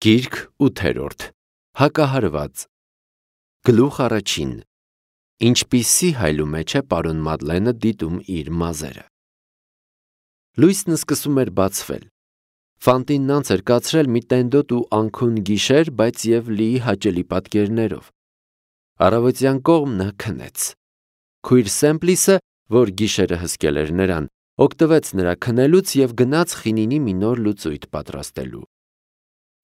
Գիրք 8-րդ Հակահարված Գլուխ առաջին Ինչպիսի հայլու մեջ է պարոն Մադլենը դիտում իր մազերը։ Լույսն սկսում էր բացվել։ Ֆանտինն անց էր կացրել մի տենդոտ ու անքուն գիշեր, բայց և լի հաճելի պատկերներով։ Առավոտյան կողմ նա քնեց։ Քույր Սեմպլիսը, որ գիշերը հսկել էր նրան, օգտվեց նրա քնելուց և գնաց խինինի մի նոր լուծույթ պատրաստելու։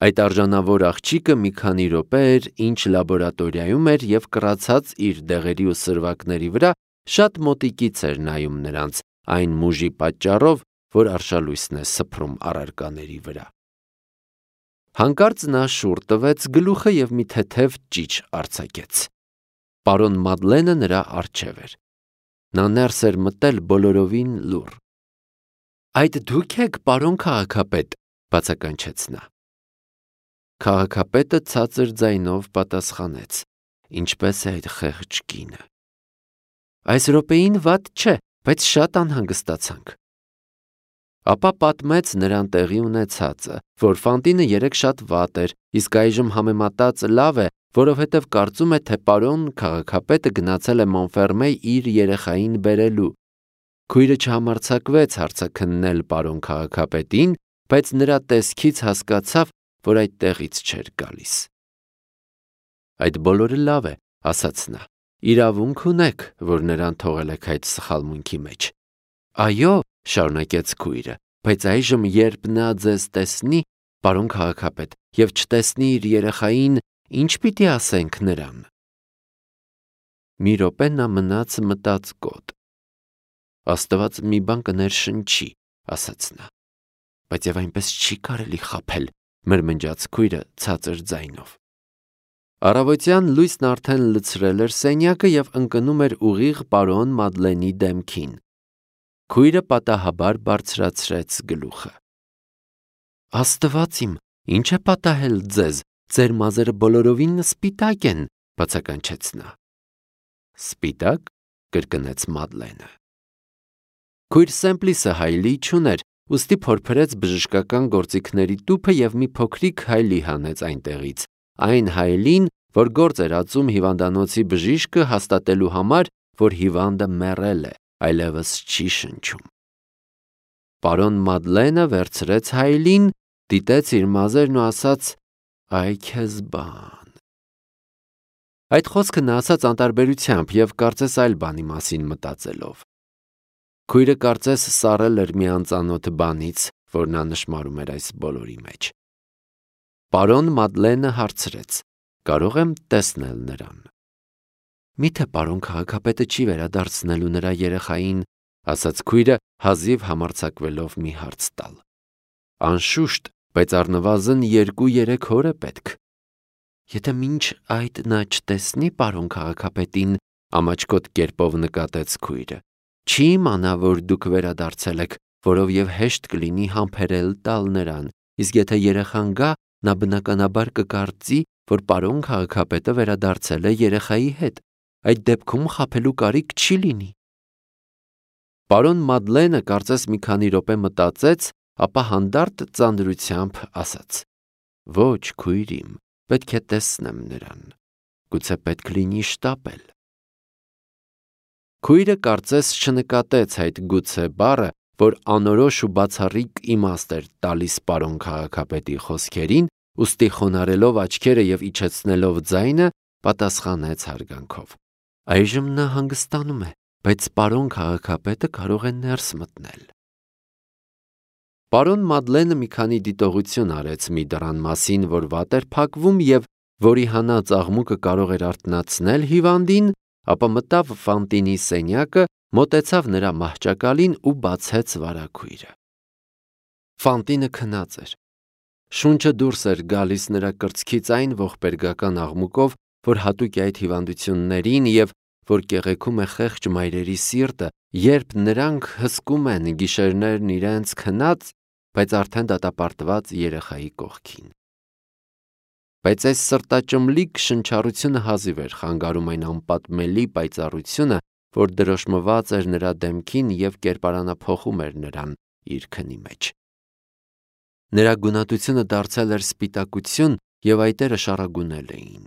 Այդ արժանավոր աղջիկը մի քանի րոպե էր, ինչ լաբորատորիայում էր և կռացած իր դեղերի ու սրվակների վրա շատ մոտիկից էր նայում նրանց, այն մուժի պատճառով, որ արշալույսն է սփռում առարկաների վրա։ Հանկարծ նա շուռ տվեց գլուխը և մի թեթև ճիչ արձակեց։ Պարոն Մադլենը նրա առջև էր։ Նա ներս էր մտել բոլորովին լուռ։ «Այդ դու՞ք եք, պարոն քաղաքապետ», բացականչեց նա։ Քաղաքապետը ցածր ձայնով պատասխանեց. «Ինչպես է այդ խեղճ կինը»։ «Այս րոպեին վատ չէ, բայց շատ անհանգստացանք»։ Ապա պատմեց նրան տեղի ունեցածը, որ Ֆանտինը երեկ շատ վատ էր, իսկ այժմ համեմատած լավ է, որովհետև կարծում է, թե պարոն քաղաքապետը գնացել է Մոնֆերմեյ իր երեխային բերելու։ Քույրը չհամարձակվեց հարցաքննել պարոն քաղաքապետին, բայց նրա տեսքից հասկացավ, որ այդ տեղից չէր գալիս։ «Այդ բոլորը լավ է», ասաց նա, «իրավունք ունեք, որ նրան թողել եք այդ սխալմունքի մեջ»։ «Այո», շարունակեց քույրը, «բայց այժմ, երբ նա ձեզ տեսնի, պարոն քաղաքապետ, և չտեսնի իր երեխային, ինչ պիտի ասենք նրան»։ Մի րոպե նա մնաց մտածկոտ։ «Աստված մի բան կներշնչի», ասաց նա։ «Բայց և այնպես չի կարելի խաբել», մրմնջաց քույրը ցածր ձայնով։ Առավոտյան լույսն արդեն լցրել էր սենյակը և ընկնում էր ուղիղ պարոն Մադլենի դեմքին։ Քույրը պատահաբար բարձրացրեց գլուխը։ «Աստված իմ, ի՞նչ է պատահել ձեզ, ձեր մազերը բոլորովին սպիտակ են», բացականչեց նա։ «Սպիտա՞կ», կրկնեց Մադլենը։ Քույր Սեմպլիսը հայլի չուներ, ուստի փորփրեց բժշկական գործիքների տուփը և մի փոքրիկ հայլի հանեց այնտեղից, այն հայլին, որ գործ էր ածում հիվանդանոցի բժիշկը հաստատելու համար, որ հիվանդը մեռել է, այլևս չի շնչում։ Պարոն Մադլենը վերցրեց հայլին, դիտեց իր մազերն ու ասաց. «Այ քեզ բան»։ Այդ խոսքը նա ասաց անտարբերությամբ և կարծես այլ բանի մասին մտածելով։ Քույրը կարծես սառել էր մի անծանոթ բանից, որ նա նշմարում էր այս բոլորի մեջ։ Պարոն Մադլենը հարցրեց. «Կարո՞ղ եմ տեսնել նրան»։ «Միթե պարոն քաղաքապետը չի վերադարձնելու նրա երեխային», ասաց քույրը, հազիվ համարձակվելով մի հարց տալ։ «Անշուշտ, բայց առնվազն 2-3 օր է պետք»։ «Եթե մինչ այդ նա չտեսնի պարոն քաղաքապետին», ամաչկոտ կերպով նկատեց քույրը, «չի իմանա, որ դուք վերադարձել եք, որով և հեշտ կլինի համբերել տալ նրան, իսկ եթե երեխան գա, նա բնականաբար կկարծի, որ պարոն քաղաքապետը վերադարձել է երեխայի հետ, այդ դեպքում խաբելու կարիք չի լինի»։ Պարոն Մադլենը կարծես մի քանի րոպե մտածեց, ապա հանդարտ ծանրությամբ ասաց. «Ոչ, քույր իմ, պետք է տեսնեմ նրան, գուցե պետք լինի շտապել»։ Քույրը կարծես չնկատեց այդ «գուցե» բառը, որ անորոշ ու բացառիկ իմաստ էր տալիս պարոն քաղաքապետի խոսքերին, ուստի խոնարհելով աչքերը և իջեցնելով ձայնը, պատասխանեց հարգանքով. «Այժմ նա հանգստանում է, բայց պարոն քաղաքապետը կարող է ներս մտնել»։ Պարոն Մադլենը մի քանի դիտողություն արեց մի դռան մասին, որ վատ էր փակվում և որի հանած աղմուկը կարող էր արթնացնել հիվանդին, ապա մտավ Ֆանտինի սենյակը, մոտեցավ նրա մահճակալին ու բացեց վարագույրը։ Ֆանտինը քնած էր։ Շունչը դուրս էր գալիս նրա կրծքից այն ողբերգական աղմուկով, որ հատուկ է այդ հիվանդություններին և որ կեղեքում է խեղճ մայրերի սիրտը, երբ նրանք հսկում են գիշերներն իրենց քնած, բայց արդեն դատապարտված երեխայի կողքին։ Բայց այս սրտաճմլիկ շնչառությունը հազիվ էր խանգարում այն անպատմելի պայծառությունը, որ դրոշմված էր նրա դեմքին և կերպարանափոխում էր նրան իր քնի մեջ։ Նրա գունատությունը դարձել էր սպիտակություն և այտերը շառագունել էին։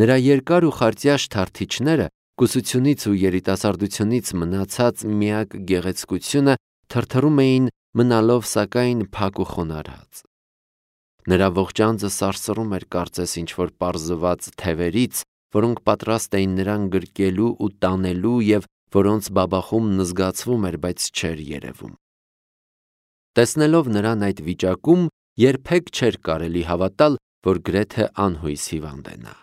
Նրա երկար ու խարտյաշ թարթիչները կուսությունից ու երիտասարդությունից մնացած միակ գեղեցկությունը թրթռում էին, մնալով սակայն փակ ու խոնարհած։ Նրա ողջ անձը սարսռում էր կարծես ինչ-որ պարզված թևերից, որոնք պատրաստ էին նրան գրկելու ու տանելու և որոնց բաբախումն զգացվում էր, բայց չէր երևում։ Տեսնելով նրան այդ վիճակում, երբեք չէր կարելի հավատալ, որ գրեթե անհույս հիվանդ է նա։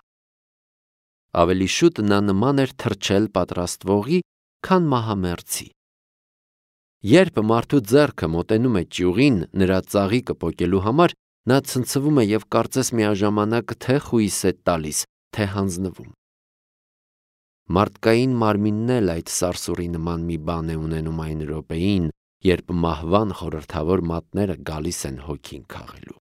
Ավելի շուտ նա նման էր թռչել պատրաստվողի, քան մահամերձի։ Երբ մարդու ձեռքը մոտենում է ճյուղին նրա ծաղիկը պոկելու համար, նա ցնցվում է և կարծես միաժամանակ թե խույս է տալիս, թե հանձնվում։ Մարդկային մարմինն էլ այդ սարսուռի նման մի բան է ունենում այն րոպեին, երբ մահվան խորհրդավոր մատները գալիս են հոգին քաղելու։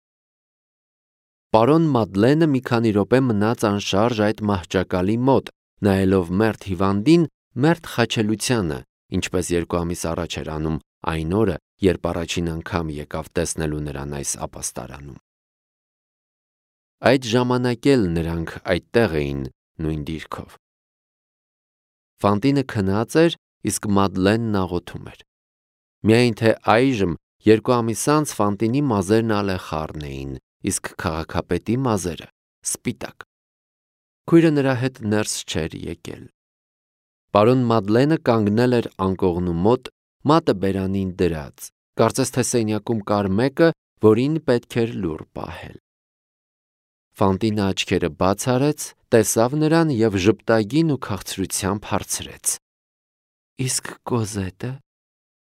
Պարոն Մադլենը մի քանի րոպե մնաց անշարժ այդ մահճակալի մոտ, նայելով մերթ հիվանդին մերթ խաչելությանը, ինչպես 2 ամիս առաջ էր անում այն օրը, երբ առաջին անգամ եկավ տեսնելու նրան այս ապաստարանում։ Այդ ժամանակ էլ նրանք այդտեղ էին նույն դիրքով։ Ֆանտինը քնած էր, իսկ Մադլենն աղոթում էր։ Միայն թե այժմ 2 ամիս անց Ֆանտինի մազերն ալեխառն էին, իսկ քաղաքապետի մազերը սպիտակ։ Քույրը նրա հետ ներս չէր եկել։ Պարոն Մադլենը կանգնել էր անկողնու մոտ, մատը բերանին դրած, կարծես թե սենյակում կար մեկը, որին պետք էր լուռ պահել։ Ֆանտինը աչքերը բաց արեց, տեսավ նրան և ժպտագին ու քաղցրությամբ հարցրեց. «Իսկ Կոզետը»։